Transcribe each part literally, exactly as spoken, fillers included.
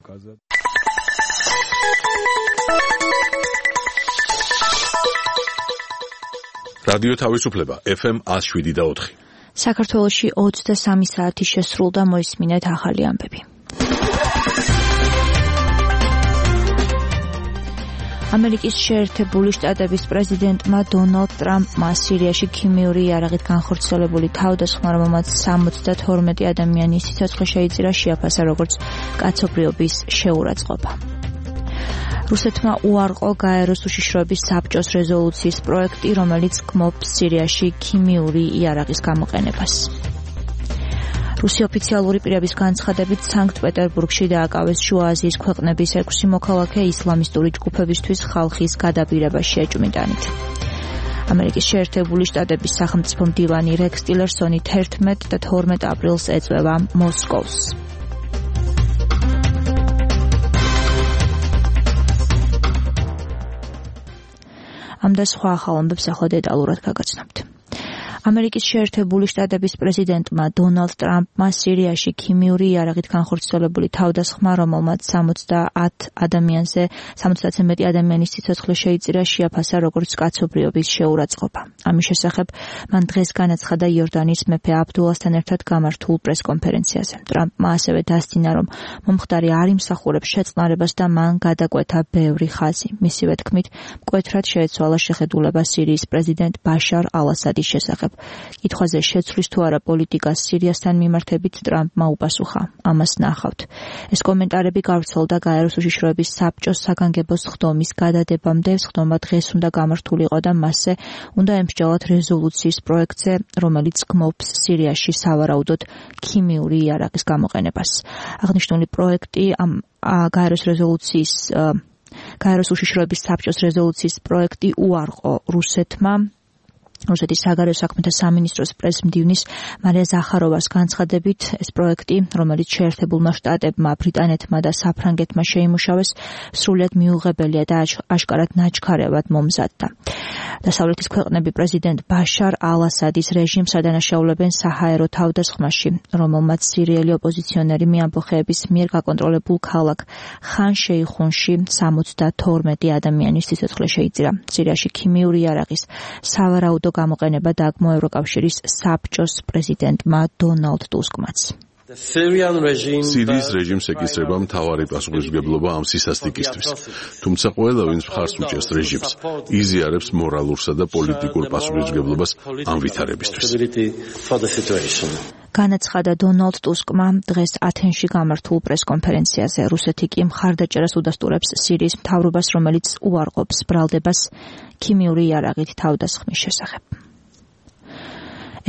показать. რადიო თავისუფლება ეფ ემ one oh seven point four. საქართველოში ოცდასამი საათი შესრულდა, მოისმინეთ ახალი ამბები. ამერიკის შეერთებული შტატების პრეზიდენტმა დონალდ ტრამპმა სირიაში ქიმიური იარაღით განხორციელებული თავდასხმა, რომელმაც სამოცდათორმეტი ადამიანის სიცოცხლე შეიწირა, შეაფასა როგორც კაცობრიობის შეურაცხყოფა. რუსეთმა უარყო გაეროს უშიშროების საბჭოს რეზოლუციის პროექტი, რომელიც გმობს სირიაში ქიმიური იარაღის გამოყენებას. რუსი ოფიციალური პირების განცხადებით, სანქტ-პეტერბურგში დააკავეს შუა აზიის ქვეყნების ექვსი მოქალაქე ისლამისტური ჯგუფებისთვის ხალხის გადაბირებაში ეჭვმიტანით. ამერიკის შეერთებული შტატების სახელმწიფო მდივანი რექს ტილერსონი თერთმეტ და თორმეტ აპრილს ეწვევა მოსკოვს. ამ და სხვა ახალ ამბებს ახლა დეტალურად გაგაცნობთ. ამერიკის შეერთებული შტატების პრეზიდენტმა დონალდ ტრამპმა სირიაში ქიმიური იარაღით განხორციელებული თავდასხმა, რომელმაც სამოცდაათ ადამიანზე სამოცდაათზე მეტი ადამიანის სიცოცხლე შეიწირა, შეაფასა როგორც კაცობრიობის შეურაცხყოფა. ამის შესახებ მან დღეს განაცხადა იორდანის მეფე აბდულასთან ერთად გამართულ პრესკონფერენციაზე. ტრამპმა ასევე დასძინა, რომ მომხდარი არ იმსახურებს შეწყნარებას და მან გადაკვეთა ბევრი ხაზი. მისივე თქმით, მკვეთრად შეეცვალა შეხედულება სირიის პრეზიდენტ ბაშარ ალ-ასადის შესახებ. კითხვაზე შეცვლის თუ არა პოლიტიკას სირიასთან მიმართებით ტრამპმა უპასუხა. ამას ნახავთ. ეს კომენტარები გავრცელდა გაეროს უშიშროების საბჭოს საგანგებო სხდომის გადადებამდე. სხდომა დღეს უნდა გამართულიყო და მასზე უნდა ემსჯელოთ რეზოლუციის პროექტზე, რომელიც გმობს სირიაში სავარაუდოდ ქიმიური იარაღის გამოყენებას. აღნიშნული პროექტი ამ გაეროს რეზოლუციის გაეროს უშიშროების საბჭოს რეზოლუციის პროექტი უარყო რუსეთმა. რუსეთის საგარეო საქმეთა სამინისტროს პრესმდივნის მარია ზახაროვას განცხადებით, ეს პროექტი, რომელიც შეერთებულმა შტატებმა, ბრიტანეთმა და საფრანგეთმა შეიმუშავეს, სრულიად მიუღებელია და აშკარად ნაჩქარევად მომზადდა. დასავლეთის ქვეყნები პრეზიდენტ ბაშარ ალ-ასადის რეჟიმს ადანაშაულებენ საჰაერო თავდასხმაში, რომელმაც სირიელი ოპოზიციონერი მეამბოხეების მიერ გაკონტროლებულ ქალაქ ხან-შეიხუნში სამოცდათორმეტი ადამიანის სიცოცხლე შეიწირა. სირიაში ქიმიური იარაღის სავარაუდო გამოყენება დაგმო ევროკავშირის საბჭოს პრეზიდენტმა დონალდ ტუსკმაც. სირიის რეჟიმს ეკისრება მთავარი პასუხისმგებლობა ამ სისასტიკისთვის, თუმცა ყველა, ვინც მხარს უჭერს რეჟიმს, იზიარებს მორალურსა და პოლიტიკურ პასუხისმგებლობას ამ ვითარებისთვის. განაცხადა დონალდ ტუსკმა დღეს ათენში გამართულ პრესკონფერენციაზე. რუსეთი კი მხარდაჭერას უდასტურებს სირიის მთავრობას, რომელიც უარყოფს ბრალდებას ქიმიური იარაღით თავდასხმის შესახებ.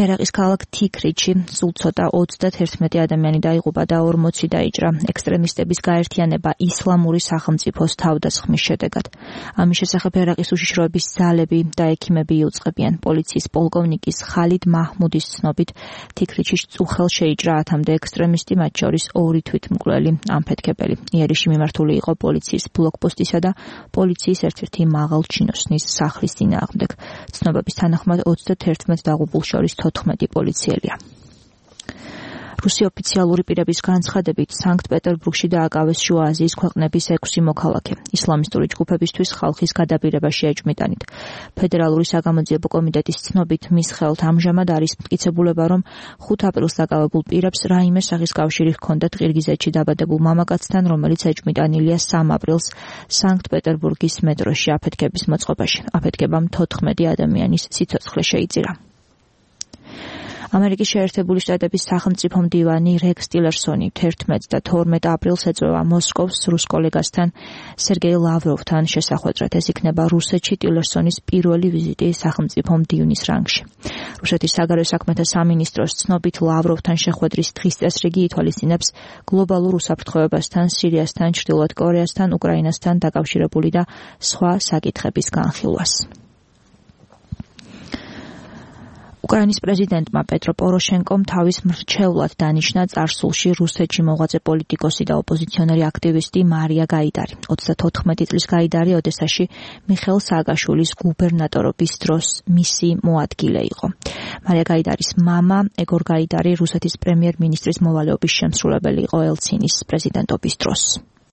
ერაყის ქალაქ თიქრიჩი სულ ცოტა ოცდაათერთმეტი ადამიანი დაიღუპა და ორმოცი დაიჭრა ექსტრემისტების გაერთიანება ისლამური სახელმწიფოს თავდასხმის შედეგად. ამის შესახებ ერაყის უშიშროების ძალები და ექიმები იუწყებიან. პოლიციის პოლკოვნიკის ხალიდ მაჰმუდის ცნობით, თიქრიჩის წუხელ შეიჭრა ათამდე ექსტრემისტი, მათ შორის ორი თვითმკვლელი ამფეთქებელი. იერიში მიმართული იყო პოლიციის ბლოკპოსტისა და პოლიციის ერთ-ერთი მაღალჩინოსნის სახლის წინააღმდეგ. ცნობების თანახმად ოცდაათერთმეტ დაღუპულ შორის თოთხმეტი პოლიციელია. რუსი ოფიციალური პირების განცხადებით, სანქტ-პეტერბურგში დააკავეს შუა აზიის ქვეყნების ექვსი მოქალაქე. ისლამისტური ჯგუფებისთვის ხალხის გადაბირებაში ეჭვმიტანით. ფედერალური საგამოძიებო კომიტეტის ცნობით, მის ხელთ ამჟამად არის მტკიცებულება, რომ ხუთ აპრილს დაკავებულ პირებს რაიმე სახის კავშირი ჰქონდათ ყირგიზეთში დაბადებულ მამაკაცთან, რომელიც ეჭვმიტანილია სამ აპრილს სანქტ-პეტერბურგის მეტროში აფეთქების მოწყობაში. აფეთქებამ თოთხმეტი ადამიანის სიცოცხლე შეიწირა. ამერიკის შეერთებული შტატების სახელმწიფო მდივანი რექს ტილერსონი თერთმეტ და თორმეტ აპრილს ეწვევა მოსკოვს რუს კოლეგასთან სერგეი ლავროვთან შესახვედრად. ეს იქნება რუსეთში ტილერსონის პირველი ვიზიტი სახელმწიფო მდივნის რანგში. რუსეთის საგარეო საქმეთა სამინისტროს ცნობით, ლავროვთან შეხვედრის დღის წესრიგი ითვალისწინებს გლობალურ უსაფრთხოებასთან, სირიასთან, ჩრდილოეთ კორეასთან, უკრაინასთან დაკავშირებული და სხვა საკითხების განხილვას. უკრაინის პრეზიდენტმა პეტრო პოროშენკომ თავის მრჩევლად დანიშნა წარსულში რუსეთში მოღვაწე პოლიტიკოსი და ოპოზიციონერი აქტივისტი მარია გაიდარი. ოცდათოთხმეტი წლის გაიდარი ოდესაში მიხეილ სააკაშვილის გუბერნატორობის დროს მისი მოადგილე იყო. მარია გაიდარის მამა ეგორ გაიდარი რუსეთის პრემიერ-მინისტრის მოვალეობის შემსრულებელი იყო ელცინის პრეზიდენტობის დროს.